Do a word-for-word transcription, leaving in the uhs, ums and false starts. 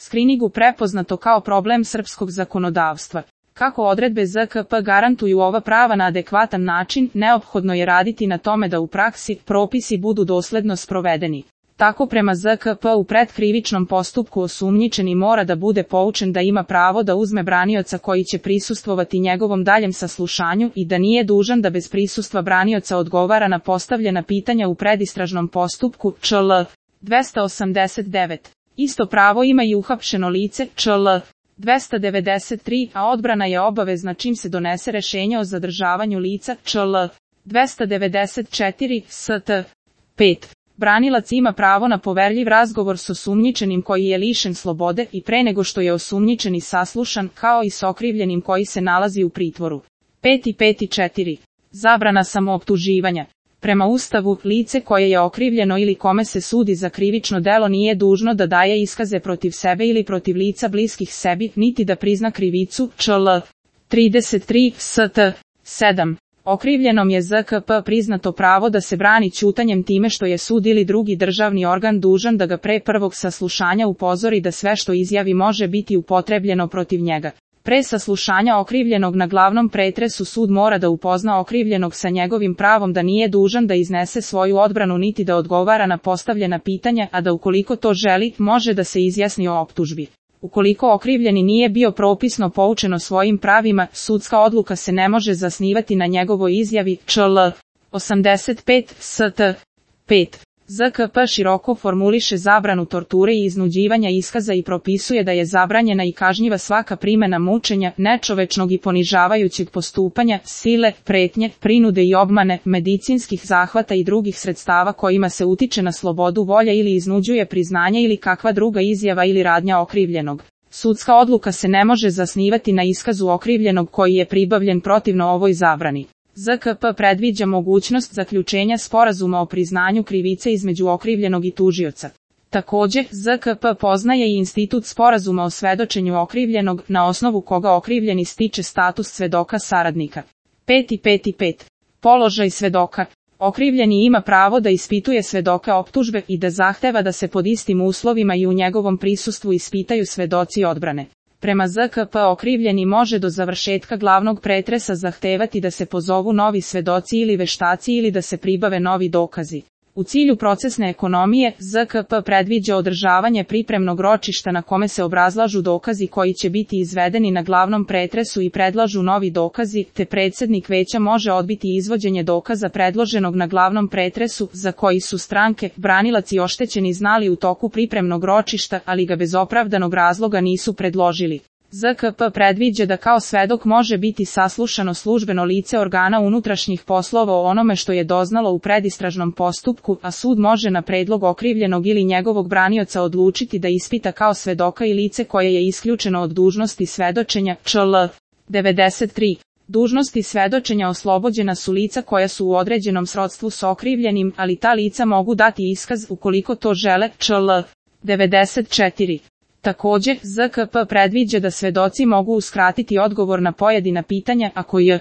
skriningu prepoznato kao problem srpskog zakonodavstva. Kako odredbe Z K P garantuju ova prava na adekvatan način, neophodno je raditi na tome da u praksi propisi budu dosledno sprovedeni. Tako prema Z K P u predkrivičnom postupku osumnjičeni mora da bude poučen da ima pravo da uzme branioca koji će prisustvovati njegovom daljem saslušanju i da nije dužan da bez prisustva branioca odgovara na postavljena pitanja u predistražnom postupku Č L dvesta osamdeset devet. Isto pravo ima i uhapšeno lice Č L dvesta devedeset tri, a odbrana je obavezna čim se donese rešenje o zadržavanju lica Č L dvesta devedeset četiri S T pet. Branilac ima pravo na poverljiv razgovor s osumnjičenim koji je lišen slobode i pre nego što je osumnjičeni saslušan, kao i s okrivljenim koji se nalazi u pritvoru. pet i pet i četiri. Zabrana samooptuživanja. Prema Ustavu, lice koje je okrivljeno ili kome se sudi za krivično delo nije dužno da daje iskaze protiv sebe ili protiv lica bliskih sebi, niti da prizna krivicu Č L trideset tri S T sedam. Okrivljenom je Z K P priznato pravo da se brani ćutanjem time što je sud ili drugi državni organ dužan da ga pre prvog saslušanja upozori da sve što izjavi može biti upotrebljeno protiv njega. Pre saslušanja okrivljenog na glavnom pretresu sud mora da upozna okrivljenog sa njegovim pravom da nije dužan da iznese svoju odbranu niti da odgovara na postavljena pitanja, a da ukoliko to želi, može da se izjasni o optužbi. Ukoliko okrivljeni nije bio propisno poučen o svojim pravima, sudska odluka se ne može zasnivati na njegovoj izjavi Č L osamdeset pet S T pet. Z K P široko formuliše zabranu torture i iznuđivanja iskaza i propisuje da je zabranjena i kažnjiva svaka primena mučenja, nečovečnog i ponižavajućeg postupanja, sile, pretnje, prinude i obmane, medicinskih zahvata i drugih sredstava kojima se utiče na slobodu volje ili iznuđuje priznanje ili kakva druga izjava ili radnja okrivljenog. Sudska odluka se ne može zasnivati na iskazu okrivljenog koji je pribavljen protivno ovoj zabrani. Z K P predviđa mogućnost zaključenja sporazuma o priznanju krivice između okrivljenog i tužioca. Takođe, Z K P poznaje i institut sporazuma o svedočenju okrivljenog, na osnovu koga okrivljeni stiče status svedoka saradnika. pet i pet i pet. Položaj svedoka. Okrivljeni ima pravo da ispituje svedoka optužbe i da zahteva da se pod istim uslovima i u njegovom prisustvu ispitaju svedoci odbrane. Prema Z K P okrivljeni može do završetka glavnog pretresa zahtevati da se pozovu novi svedoci ili veštaci ili da se pribave novi dokazi. U cilju procesne ekonomije, Z K P predviđa održavanje pripremnog ročišta na kome se obrazlažu dokazi koji će biti izvedeni na glavnom pretresu i predlažu novi dokazi, te predsednik veća može odbiti izvođenje dokaza predloženog na glavnom pretresu, za koji su stranke, branilac i oštećeni znali u toku pripremnog ročišta, ali ga bez opravdanog razloga nisu predložili. Z K P predviđa da kao svedok može biti saslušano službeno lice organa unutrašnjih poslova o onome što je doznalo u predistražnom postupku, a sud može na predlog okrivljenog ili njegovog branioca odlučiti da ispita kao svedoka i lice koje je isključeno od dužnosti svedočenja Č L devedeset tri. Dužnosti svedočenja oslobođena su lica koja su u određenom srodstvu s okrivljenim, ali ta lica mogu dati iskaz ukoliko to žele Č L devedeset četiri. Takođe, Z K P predviđa da svedoci mogu uskratiti odgovor na pojedina pitanja ako je